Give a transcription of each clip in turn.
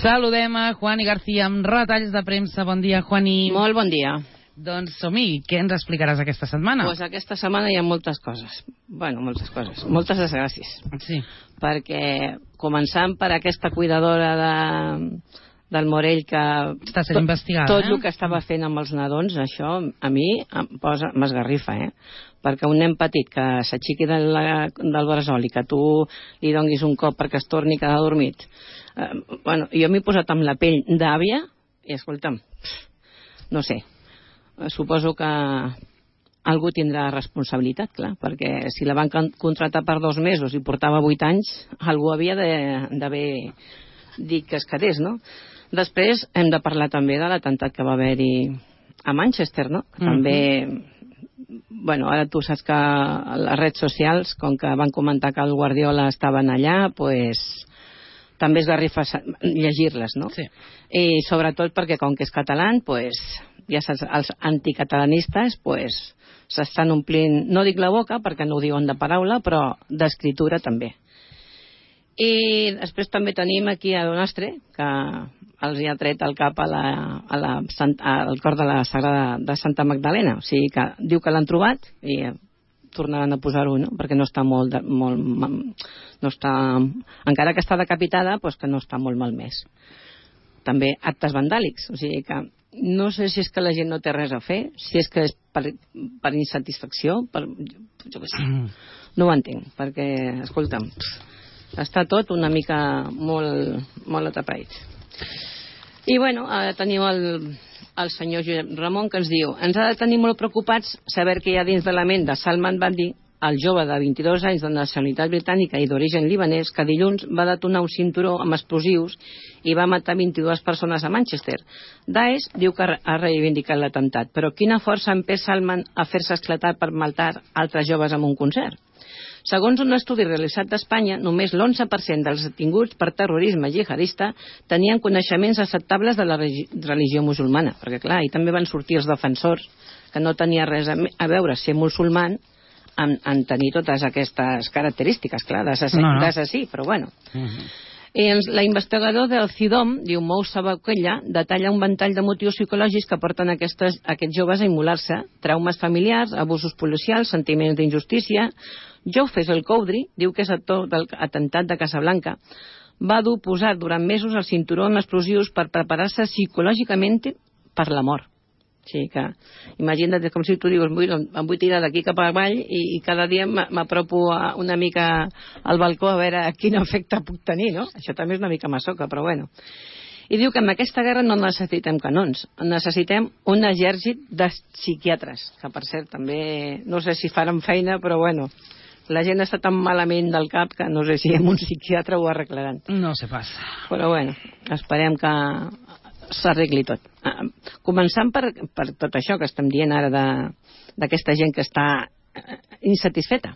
Saludem a Juani García amb retalls de premsa. Bon dia, Juani. Molt bon dia. Doncs som-hi. Què ens explicaràs aquesta setmana? Doncs aquesta setmana hi ha moltes coses. Bueno, moltes coses. Moltes desgràcies. Sí. Perquè començant per aquesta cuidadora del Morell que... Està sent investigada, tot el que estava fent amb els nadons, això a mi m'esgarrifa, perquè un nen petit que s'aixequi del bressol i que tu li donguis un cop perquè es torni a quedar dormit. Bueno, jo m'he posat amb la pell d'àvia i, escolta'm, no sé, suposo que algú tindrà responsabilitat, clar, perquè si la van contractar per 2 mesos i portava 8 anys, algú havia d'haver dit que es quedés, no? Després hem de parlar també de l'atemptat que va haver-hi a Manchester, no? També, bueno, ara tu saps que les redes socials, com que van comentar que el Guardiola estaven allà, pues també es garrifa llegir-les, no? Sí. I sobretot perquè com que és català, pues ja saps, els anticatalanistes pues s'estan omplint, no dic la boca perquè no ho diuen de paraula, però d'escriptura també. I després també tenim aquí a Donastre, que els hi ha tret el cap al cor de la Sagrada de Santa Magdalena. O sigui que diu que l'han trobat i tornaran a posar-ho, no? Perquè no està no està, encara que està decapitada, doncs que no està molt malmès. També actes vandàlics, o sigui que no sé si és que la gent no té res a fer, si és que és per insatisfacció, jo què sé. No ho entenc, perquè, escolta'm, està tot una mica molt atrapaït. I bueno, ara tenim el senyor Josep Ramon que ens diu: ens ha de tenir molt preocupats saber que hi ha dins de la ment de Salman Bandi, el jove de 22 anys de nacionalitat britànica i d'origen libanès, que dilluns va detonar un cinturó amb explosius i va matar 22 persones a Manchester. Daesh diu que ha reivindicat l'atemptat, però quina força ha empès Salman a fer-se esclatar per matar altres joves en un concert? Segons un estudi realitzat a Espanya, només l'11% dels detinguts per terrorisme jihadista tenien coneixements acceptables de la religió musulmana. Perquè, clar, i també van sortir els defensors, que no tenia res a veure ser musulman en tenir totes aquestes característiques, clar, d'assassí, però bueno. I l'investigador del CIDOM, diu Moussa Bouquella, detalla un ventall de motius psicològics que porten aquests joves a immolar-se: traumes familiars, abusos policials, sentiments d'injustícia. Jofes El Coudri, diu que és actor del atemptat de Casablanca, va dur posar durant mesos el cinturó amb explosius per preparar-se psicològicament per la mort. O sigui que, imagina't, com si tu dius, em vull tirar d'aquí cap avall i cada dia m'apropo una mica al balcó a veure quin efecte puc tenir, no? Això també és una mica masoca, però bueno. I diu que en aquesta guerra no necessitem canons, necessitem un exèrcit de psiquiatres, que per cert també no sé si faran feina, però bueno, la gent està tan malament del cap que no sé si amb un psiquiatre ho arreglaran. No sé pas. Però bueno, esperem que s'arregli tot. Començant per tot això que estem dient ara d'aquesta gent que està insatisfeta,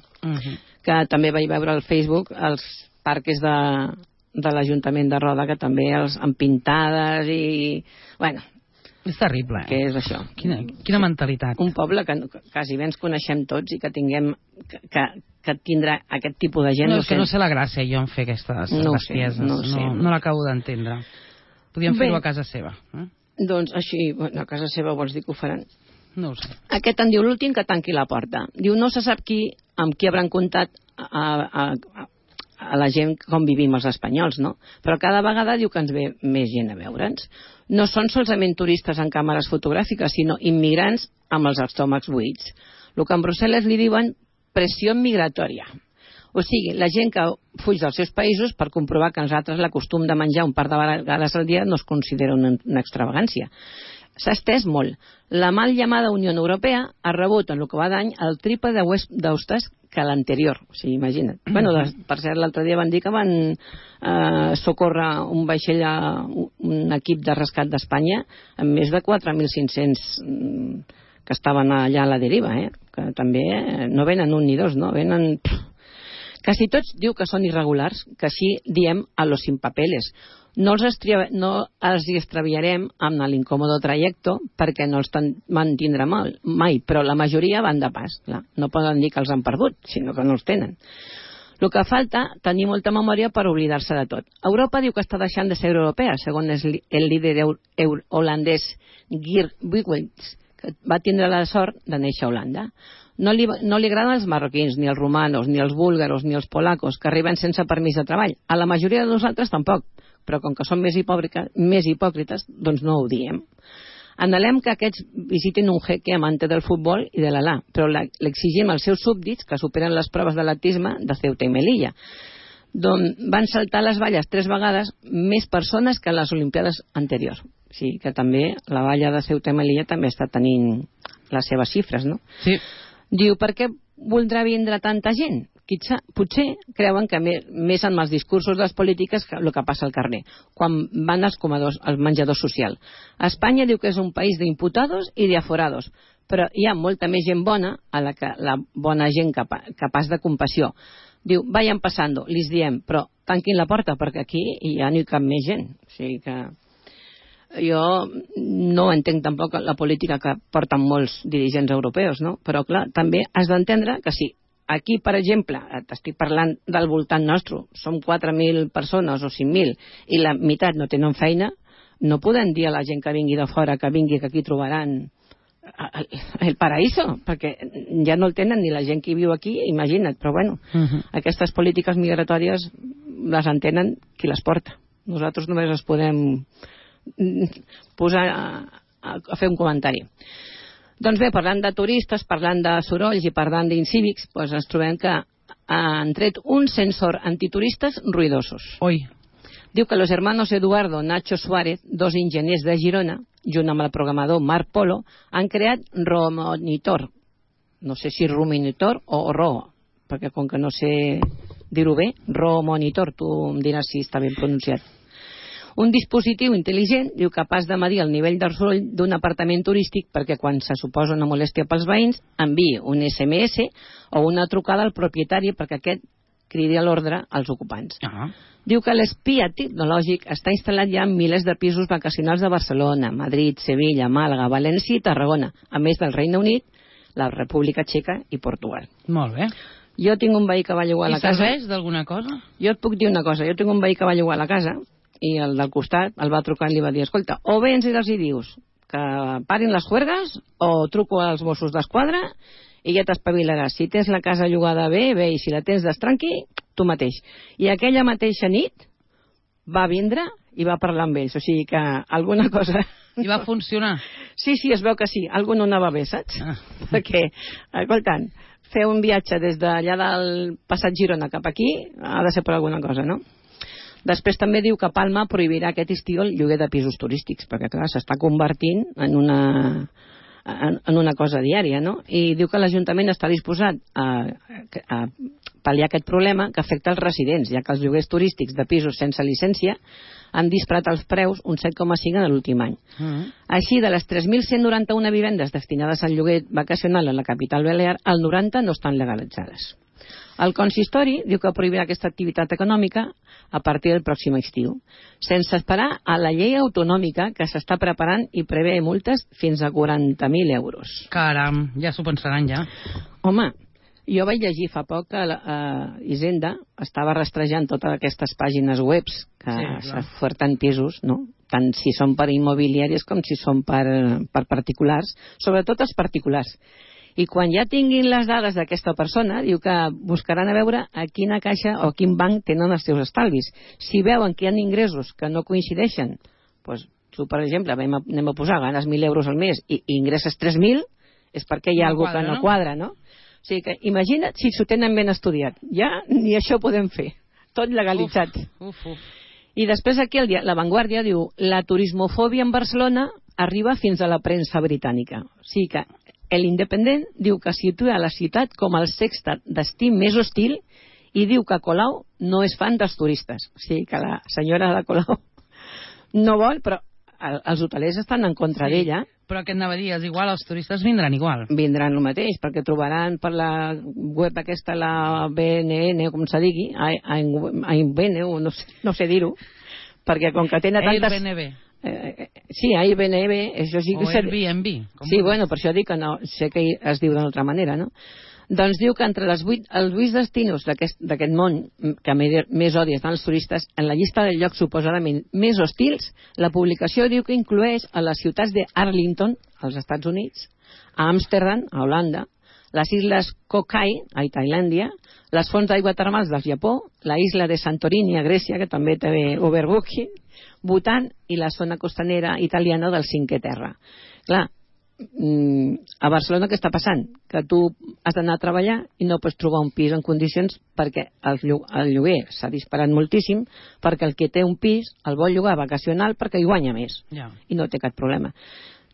que també vaig veure al Facebook els parques de l'Ajuntament de Roda, que també els han pintades i... bueno, és terrible, què és això? Quina mentalitat. Un poble que quasi bé ens coneixem tots i que tinguem que tindrà aquest tipus de gent. No, és que no sé la gràcia jo en fer aquestes bestieses. No l'acabo d'entendre. Podríem fer-ho a casa seva. Doncs així, a casa seva vols dir que ho faran? No ho sé. Aquest en diu l'últim que tanqui la porta. Diu, no se sap amb qui hauran comptat a la gent com vivim els espanyols, no? Però cada vegada diu que ens ve més gent a veure'ns. No són solament turistes amb càmeres fotogràfiques, sinó immigrants amb els estómacs buits. El que en Brussel·les li diuen pressió migratòria. O sigui, la gent que fuig dels seus països per comprovar que nosaltres l'acostum de menjar un par de vegades al dia no es considera una extravagància. S'ha estès molt. La mal llamada Unió Europea ha rebut en el que va d'any el triple d'hostes que l'anterior. O sigui, imagina't. Bueno, per cert, l'altre dia van dir que van socórrer un vaixell a un equip de rescat d'Espanya amb més de 4.500 que estaven allà a la deriva, que també no venen un ni dos, no? Venen... Quasi tots diu que són irregulars, que així diem a los sin papeles. No els extraviarem amb l'incòmodo trajecto perquè no els mantindrà mai, però la majoria van de pas. Clar. No poden dir que els han perdut, sinó que no els tenen. El que falta, tenir molta memòria per oblidar-se de tot. Europa diu que està deixant de ser europea, segons el líder holandès Geert Wilders, que va tindre la sort de néixer a Holanda. No li agraden els marroquins, ni els romanos, ni els búlgaros, ni els polacos, que arriben sense permís de treball. A la majoria de nosaltres tampoc, però com que són més hipòcrites, doncs no ho diem. Anhelem que aquests visitin un jeque amante del futbol i de l'Alà, però l'exigim als seus súbdits que superen les proves d'atletisme de Ceuta i Melilla, d'on van saltar les valles 3 vegades més persones que en les Olimpiades anteriors. O sigui que també la valla de Ceuta i Melilla també està tenint les seves xifres, no? Sí. Diu, per què voldrà vindre tanta gent? Potser creuen que més en els discursos de les polítiques que el que passa al carrer, quan van als comedors, al menjador social. Espanya diu que és un país d'imputados i d'aforados, però hi ha molta més gent bona a la bona gent capaç de compassió. Diu, vayan pasando, li diem, però tanquin la porta perquè aquí ja no hi cap més gent. O sigui que jo no entenc tampoc la política que porten molts dirigents europeus, no? Però clar, també has d'entendre que si aquí, per exemple, t'estic parlant del voltant nostre, som 4.000 persones o 5.000 i la meitat no tenen feina, no podem dir a la gent que vingui de fora que vingui, que aquí trobaran el paraíso, perquè ja no el tenen ni la gent que viu aquí, imagina't, però bueno, aquestes polítiques migratòries les entenen qui les porta. Nosaltres només les podem posar a fer un comentari. Doncs bé, parlant de turistes, parlant de sorolls i parlant d'incívics, doncs ens trobem que han tret un sensor antituristes ruidosos. Oi. Diu que los hermanos Eduardo Nacho Suárez, 2 enginyers de Girona, junt amb el programador Marc Polo, han creat Romonitor. No sé si Rumonitor o Ro, perquè com que no sé dir-ho bé, Romonitor, tu em diràs si està ben pronunciat. Un dispositiu intel·ligent, diu, capaç de medir el nivell de soroll d'un apartament turístic perquè quan se suposa una molèstia pels veïns enviï un SMS o una trucada al propietari perquè aquest cridi a l'ordre als ocupants. Diu que l'espia tecnològic està instal·lat ja en milers de pisos vacacionals de Barcelona, Madrid, Sevilla, Màlaga, València i Tarragona, a més del Regne Unit, la República Txeca i Portugal. Molt bé. Jo tinc un veí que va llogar a la casa. I serveix d'alguna cosa? Jo et puc dir una cosa. Jo tinc un veí que va llogar a la casa i el del costat el va trucar i li va dir, escolta, o vens i els hi dius que parin les juergues o truco als Mossos d'Esquadra i ja t'espavilaràs. Si tens la casa llogada bé, bé, i si la tens destranqui, tu mateix. I aquella mateixa nit va vindre i va parlar amb ells, o sigui que alguna cosa... I va funcionar? Sí, es veu que sí, alguna no anava bé, saps? Perquè, escoltant, fer un viatge des d'allà del passat Girona cap aquí ha de ser per alguna cosa, no? Després també diu que Palma prohibirà aquest estiu el lloguer de pisos turístics, perquè clar, s'està convertint en una cosa diària, no? I diu que l'Ajuntament està disposat a pal·liar aquest problema que afecta els residents, ja que els lloguers turístics de pisos sense llicència han disparat els preus un 7,5 en l'últim any. Així, de les 3.191 vivendes destinades al lloguer vacacional a la capital balear, el 90 no estan legalitzades. El consistori diu que prohibirà aquesta activitat econòmica a partir del pròxim estiu, sense esperar a la llei autonòmica que s'està preparant i prevé multes fins a 40.000 euros. Caram, ja s'ho pensaran ja. Home, jo vaig llegir fa poc que Hisenda estava rastrejant totes aquestes pàgines webs que s'oferten pisos, no? Tant si són per immobiliàries com si són per particulars, sobretot els particulars. I quan ja tinguin les dades d'aquesta persona, diu que buscaran a veure a quina caixa o a quin banc tenen els seus estalvis. Si veuen que hi ha ingressos que no coincideixen, doncs tu, per exemple, anem a posar, ganes 1.000 euros al mes i ingresses 3.000, és perquè hi ha alguna cosa que no quadra, no? O sigui que imagina't si s'ho tenen ben estudiat. Ja ni això podem fer. Tot legalitzat. I després aquí La Vanguardia diu la turismofòbia en Barcelona arriba fins a la premsa britànica. O sigui que l'Independent diu que situa la ciutat com el sexte destí més hostil i diu que Colau no és fan dels turistes. O sigui que la senyora de Colau no vol, però els hotelers estan en contra d'ella. Però què anava a dir? És igual, els turistes vindran igual. Vindran el mateix, perquè trobaran per la web aquesta, la BNN, o com se digui, AIBN, no sé dir-ho, perquè com que tenen tantes... Airbnb. Sí, Airbnb, això sí que... O Airbnb. Sí, bueno, per això dic que no, sé que es diu d'una altra manera, no? Doncs diu que entre els 8 destinos d'aquest món que més odies dels turistes, en la llista de llocs suposadament més hostils, la publicació diu que inclueix a les ciutats de Arlington, als Estats Units, a Amsterdam, a Holanda, les illes Kokai, a Tailàndia, les fonts d'aigua termals del Japó, la isla de Santorini, a Grècia, que també té overbooking, Bhutan i la zona costanera italiana del Cinquè Terra. Clar, a Barcelona què està passant? Que tu has d'anar a treballar i no pots trobar un pis en condicions perquè el lloguer s'ha disparat moltíssim, perquè el que té un pis el vol llogar vacacional perquè hi guanya més i no té cap problema.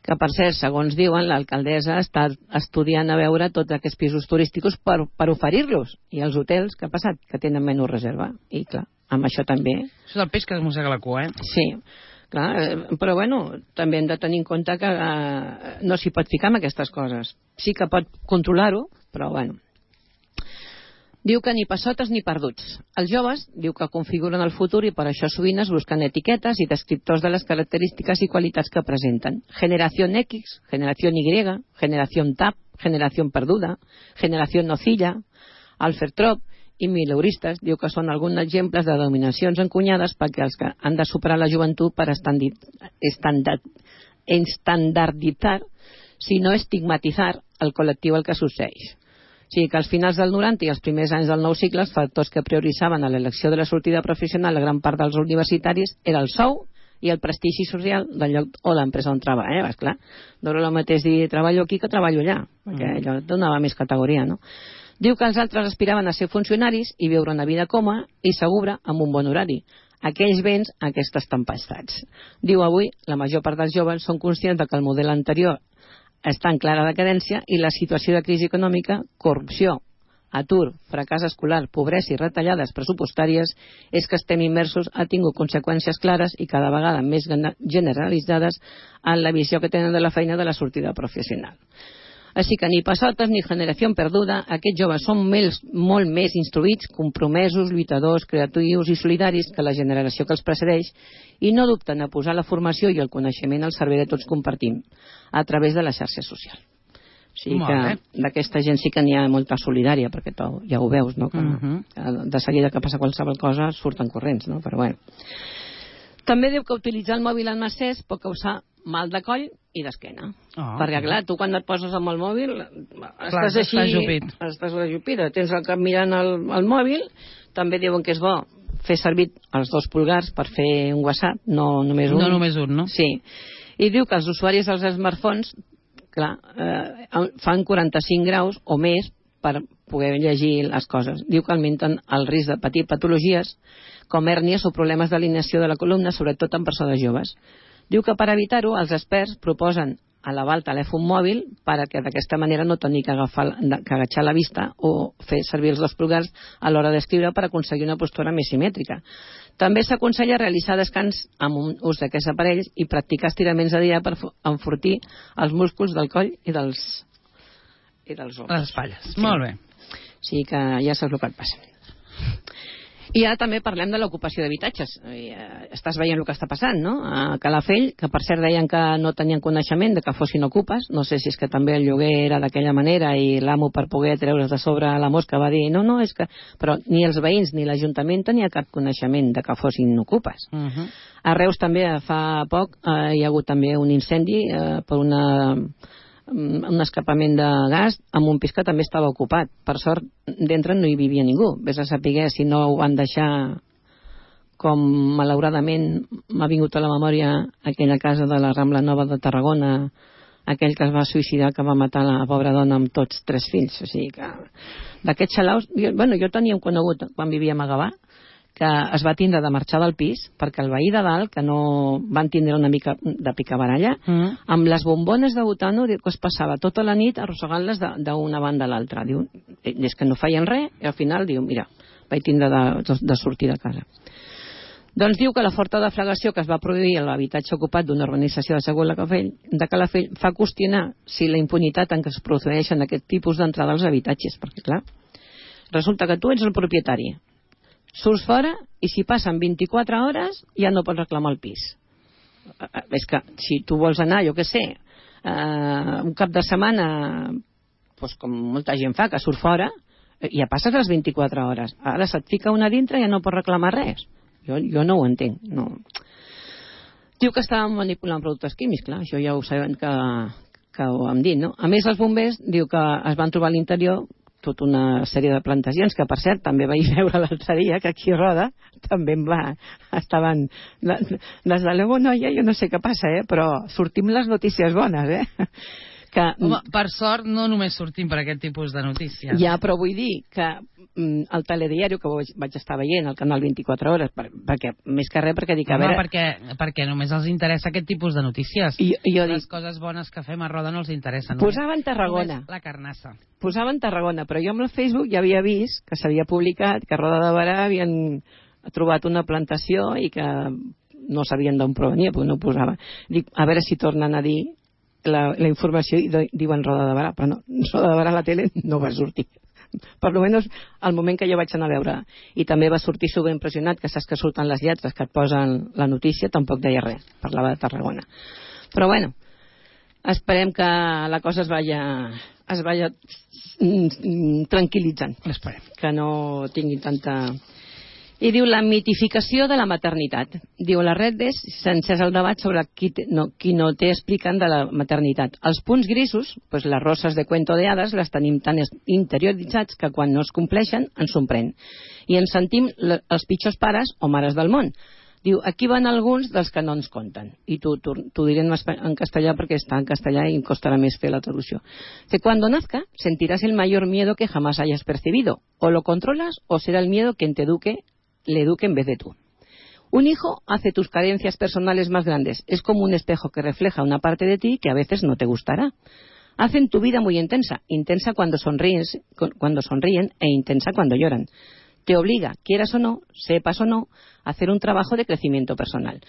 Que per cert, segons diuen, l'alcaldessa està estudiant a veure tots aquests pisos turístics per oferir-los, i els hotels, què ha passat? Que tenen menys reserva, i clar, amb això també... Això és el peix que es mossega la cua, Sí. Clar, però bueno, també hem de tenir en compte que no s'hi pot ficar amb aquestes coses. Sí que pot controlar-ho, però bueno. Diu que ni passotes ni perduts. Els joves, diu que configuren el futur i per això sovint es busquen etiquetes i descriptors de les característiques i qualitats que presenten. Generació X, generació Y, generació TAP, generació perduda, generació nocilla, Alfertrop i mileuristes, diu que són alguns exemples de denominacions encunyades perquè els que han de superar la joventut per estandarditzar, si no estigmatitzar, el col·lectiu al que succeeix. O sigui que als finals del 90 i els primers anys del nou cicle, els factors que prioritzaven a l'elecció de la sortida professional a gran part dels universitaris era el sou i el prestigi social del lloc o l'empresa on treballa. Esclar, no era el mateix dir treballo aquí que treballo allà, perquè allò donava més categoria, no? Diu que els altres aspiraven a ser funcionaris i viure una vida còmoda i segura amb un bon horari. Aquells béns, aquestes tempestats. Diu avui, la major part dels joves són conscients que el model anterior està en clara decadència i la situació de crisi econòmica, corrupció, atur, fracàs escolar, pobresa i retallades pressupostàries és que estem immersos ha tingut conseqüències clares i cada vegada més generalitzades en la visió que tenen de la feina de la sortida professional. Així que ni passotes ni generació perduda, aquests joves són molt més instruïts, compromesos, lluitadors, creatius i solidaris que la generació que els precedeix i no dubten a posar la formació i el coneixement al servei de tots compartim a través de la xarxa social. O sigui que d'aquesta gent sí que n'hi ha molta solidària, perquè ja ho veus, no? Que de seguida que passa qualsevol cosa surten corrents, no? Però bueno. També diu que utilitzar el mòbil en excés pot causar mal de coll i d'esquena. Perquè, clar, tu quan et poses amb el mòbil estàs així, estàs ajupida, tens el cap mirant el mòbil. També diuen que és bo fer servir els 2 pulgars per fer un WhatsApp, no només un. No només un, no? Sí. I diu que els usuaris dels smartphones, clar, fan 45 graus o més per poder llegir les coses. Diu que augmenten el risc de patir patologies com hèrnies o problemes d'alineació de la columna, sobretot en persones joves. Diu que per evitar-ho, els experts proposen elevar el telèfon mòbil perquè d'aquesta manera no tenir que agachar la vista o fer servir els 2 pulgars a l'hora d'escriure per aconseguir una postura més simètrica. També s'aconsella realitzar descans amb un ús d'aquests aparells i practicar estiraments de dia per enfortir els músculs del coll i dels ombres. Les espatlles. Sí. Molt bé. Sí, que ja saps el que et passa. I ara també parlem de l'ocupació d'habitatges. Estàs veient el que està passant, no? A Calafell, que per cert deien que no tenien coneixement de que fossin ocupes, no sé si és que també el lloguer era d'aquella manera i l'amo per poder treure's de sobre la mosca va dir no, és que... Però ni els veïns ni l'Ajuntament tenia cap coneixement de que fossin ocupes. A Reus també fa poc hi ha hagut també un incendi per un escapament de gas amb un pis que també estava ocupat. Per sort, dintre no hi vivia ningú. Ves a saber si no ho van deixar, com malauradament m'ha vingut a la memòria aquella casa de la Rambla Nova de Tarragona, aquell que es va suïcidar, que va matar la pobra dona amb tots 3 fills. O sigui que d'aquests xalaus... Jo tenia un conegut quan vivíem a Gavà que es va tindre de marxar del pis perquè el veí de dalt, que no van tindre una mica de picabaralla, amb les bombones de butano, que es passava tota la nit arrossegant-les d'una banda a l'altra. Diu, és que no feien res, i al final diu, mira, vaig tindre de sortir de casa. Doncs diu que la forta deflagració que es va produir a l'habitatge ocupat d'una urbanització de Calafell fa qüestionar si la impunitat en què es produeixen aquest tipus d'entrada als habitatges, perquè clar, resulta que tu ets el propietari, surts fora i si passen 24 hores ja no pots reclamar el pis. És que si tu vols anar, jo què sé, un cap de setmana doncs com molta gent fa, que surt fora, ja passes les 24 hores. Ara se't fica una dintre i ja no pots reclamar res. Jo no ho entenc. No. Diu que estàvem manipulant productes químics, clar, això ja ho sabem que ho hem dit, no? A més, els bombers diu que es van trobar a l'interior tota una sèrie de plantacions, que per cert també vaig veure l'altre dia que aquí a Roda també estaven des de l'Evo Noia, jo no sé què passa, però sortim les notícies bones, Home, per sort no només sortim per aquest tipus de notícies. Ja, però vull dir que el telediari que vaig estar veient al canal 24 hores, perquè més que res perquè dic a veure... perquè només els interessa aquest tipus de notícies. Les coses bones que fem a Roda no els interessen. Posaven Tarragona. La carnassa. Posaven Tarragona, però jo amb el Facebook ja havia vist que s'havia publicat que a Roda de Barà havien trobat una plantació i que no sabien d'on provenia, perquè no ho posava. Dic, a veure si tornen a dir la informació i diuen Roda de Barà, però no, Roda de Barà a la tele no va sortir. Per almenys al moment que jo vaig anar a veure. I també va sortir superimpressionat, que saps que surten les lletres que et posen la notícia, tampoc deia res, parlava de Tarragona. Però bueno, esperem que la cosa es vaya tranquil·litzant. Esperem. Que no tingui tanta... I diu la mitificació de la maternitat. Diu les redes, s'encès el debat sobre qui no té explicant de la maternitat. Els punts grisos, pues les roses de cuento de hades, les tenim tan interioritzats que quan no es compleixen ens sorprèn. I ens sentim els pitjors pares o mares del món. Diu, aquí van alguns dels que no ens conten. I t'ho diré en castellà perquè està en castellà i em costarà més fer la traducció. Que cuando nazca sentirás el mayor miedo que jamás hayas percibido. O lo controlas o será el miedo quien le eduque en vez de tú. Un hijo hace tus carencias personales más grandes. Es como un espejo que refleja una parte de ti que a veces no te gustará. Hacen tu vida muy intensa. Intensa cuando sonríen e intensa cuando lloran. Te obliga, quieras o no, sepas o no, a hacer un trabajo de crecimiento personal.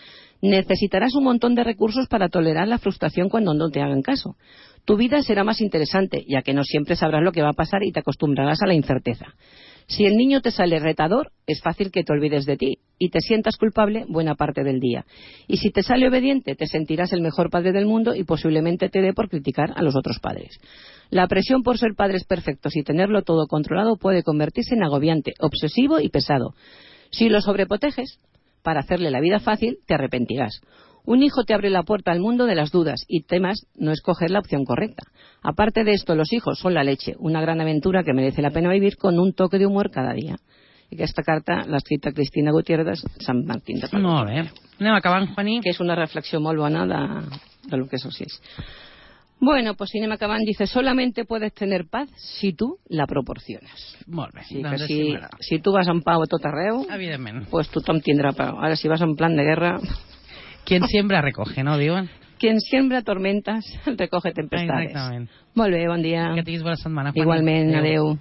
Necesitarás un montón de recursos para tolerar la frustración cuando no te hagan caso. Tu vida será más interesante, ya que no siempre sabrás lo que va a pasar y te acostumbrarás a la incerteza. Si el niño te sale retador, es fácil que te olvides de ti y te sientas culpable buena parte del día. Y si te sale obediente, te sentirás el mejor padre del mundo y posiblemente te dé por criticar a los otros padres. La presión por ser padres perfectos y tenerlo todo controlado puede convertirse en agobiante, obsesivo y pesado. Si lo sobreproteges, para hacerle la vida fácil, te arrepentirás. Un hijo te abre la puerta al mundo de las dudas y temas no escoger la opción correcta. Aparte de esto, los hijos son la leche, una gran aventura que merece la pena vivir con un toque de humor cada dia. I aquesta carta l'ha escrita Cristina Gutiérrez de Sant Martín de Porres. Molt bé. Anem acabant, Juaní. Que és una reflexió molt bona de lo que és el Bueno, pues si anem acabant, dice, solamente puedes tener paz si tú la proporciones. Molt bé. Sí, doncs si tu vas en pau a tot arreu, evidentment, pues tothom tindrà pau. Ara, si vas en plan de guerra... Quien siembra recoge, ¿no, diuen? Quien siembra tormentas recoge tempestades. Exactament. Molt bé, bon dia. Que tinguis bona setmana, Juaní. Igualment, adeu.